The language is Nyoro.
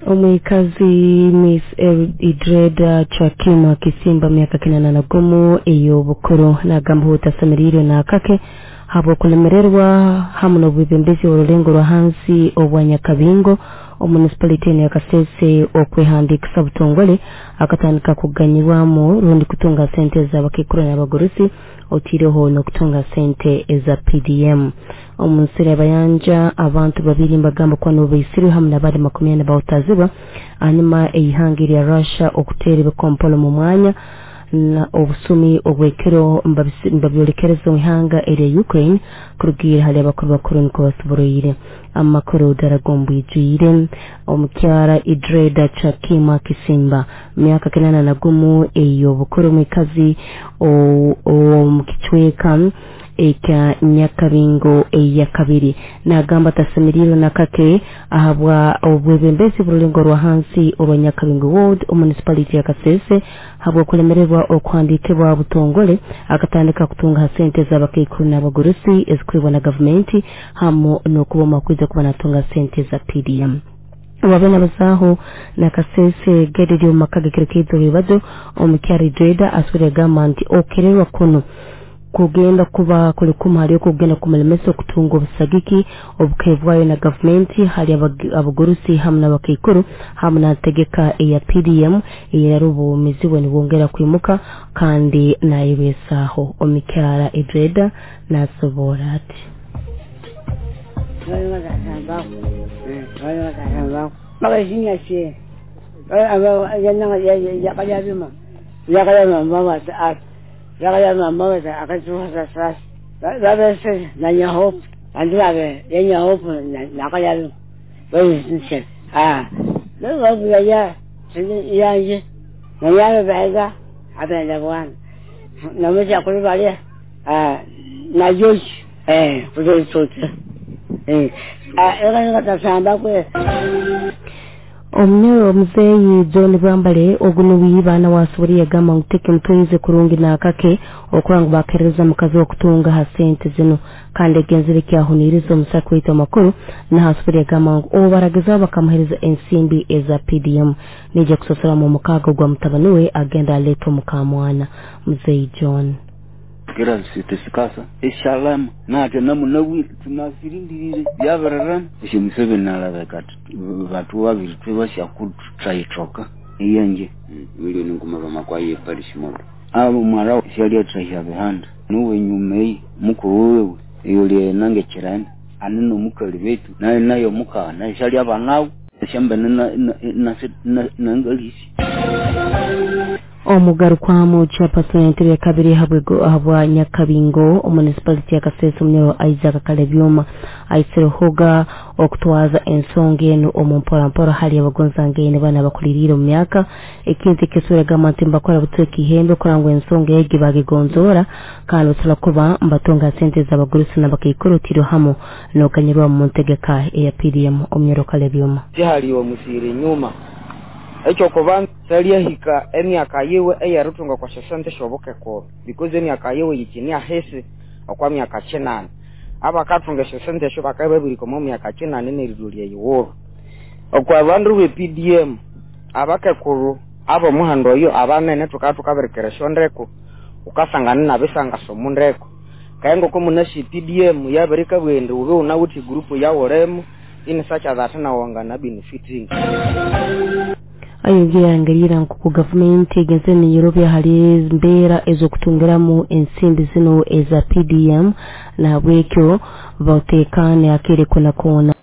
Omwikazi Miss Idreda Chakima Kisimba, myaka 81 ey'obukuru, nagamba utasemereirwe n'akake habw'okulemererwa hamu n'obwebembezi orulengo rwa hansi obwa Nyakabingo omunicipality ya Kasese okwehandikisa butongole, akatandika kuganyirwamu rundi kutunga sente z'abakekuru n'abagurusi, otiireho n'okutunga sente eza PDM. Omu nsiri abayanja, abantu babiri mbagamba kuba nibo baisirwe hamu n'abandi 40 bawutazibwa hanyuma eihanga erya Russia okuteera ebikompolo mu mwanya na obusumi obwekiro mbabyolekereza omu ihanga erya Ukraine. Kurugiira hali abakuru bakuru niko basoboroire amakuru ddala g'ombwijwire. Omukyara Idreda Chakima Kisimba, myaka 81 ey'obukuru, omwikazi ow'omu kicweka ekya Nyakabingo eyakabiri, nagamba tasemeriirwe nakake ahabwa obwebembezi burulengo rwa hansi orwa Nyakabingo Ward Municipality ya Kasese habw'okulemererwa okuhandikibwa butongole, akatandika kutunga ha sente z'abakaikuru n'abagurusi ezikuhebwa na gavumenti, hamu n'okuba omu kuba natunga sente za PDM. Wabe nabazaaho na Kasese gedidi omu maka gekiro kiitu rwibazo, omukyara Idreda asubire agamba nti okererwa kuno kugenda kuba kuli kumu hali okugenda kumulemesa okutunga obusagiki obukebwayo na gavumenti hali abagurusi hamu n'abakaikuru hamu n'antegeka eya PDM eyerara obumizi bwe nibwongera kwimuka kandi nayebesaaho. Omukyara Idreda nasobora ati: Omunyo omuzeeyi John Bwambale ogu niwe baana wasobora yagamba ngu tekimutwaize kurungi n'akake okuba ngu bakerereza mukazi okutunga ha sente zino, kandi egenzere kyahuniiriza omusaka waitu amakuru. Nahasobora yagamba ngu obu baragezaho bakamuhereza ensimbi eza PDM, nijja kusosoramu omukaaga gwa mutabani we agenda aleeta omukamwana. Muzeeyi John. Kera sitesikasa eshalama nate namunawire tunasirindirire byabararama esyo Museveni nalabeka batu babiri twebashakutrayitoka iyenje milioni nguma bamakwaye parish modo abo mwara shali atrahya bihanda nuwe nyuma eyi mukuru wewe iyo lye kirani anino mukali betu nayo nayo mukana shali abanawo shamba na nangalisi. Omugarukwamu chairperson entebe ya kabiri habwa Nyakabingo omunicipality ya Kasese, omunyoro Isaac Kalebyuma, aisirehoga okutwaza ensonga eno omu mporampora hali abagonzangaine bana bakuliriire omu myaka. Ekintu ekisura gamba nti mbakora butweka ihembe kuranga ngu ensonga egi bagigonzora, kandi basobola kuba mbatunga sente z'abagurusi n'abakaikuru tiro hamu n'okanyirwa mu ntegeka eya PDM. Omunyoro Kalebyuma. Tihaliwe musiri nyuma ekyo kubanza salyahika emyaka yiwe eyarutunga kwa sente shobukekoro, because emyaka yiwe yikini ahesi okwa myaka 8. Abakatunga esente esho bakaba babiri komo myaka 8 neridulya yiworo okwa bandu be PDM abakekuru abo muhando oyo abanene tukatukaberekera shondeko ukasangana nabisanga somundeko kaengo ko munashi PDM yabereka bwende ube unawuthi group yawolemo in such that na wangana benefiting. Ayongera yangarira nkuku gavumenti egenze neyerobya hali mbeera ez'okutungiramu ensimbi zino eza PDM, nahabwekyo batekane akere kona kona.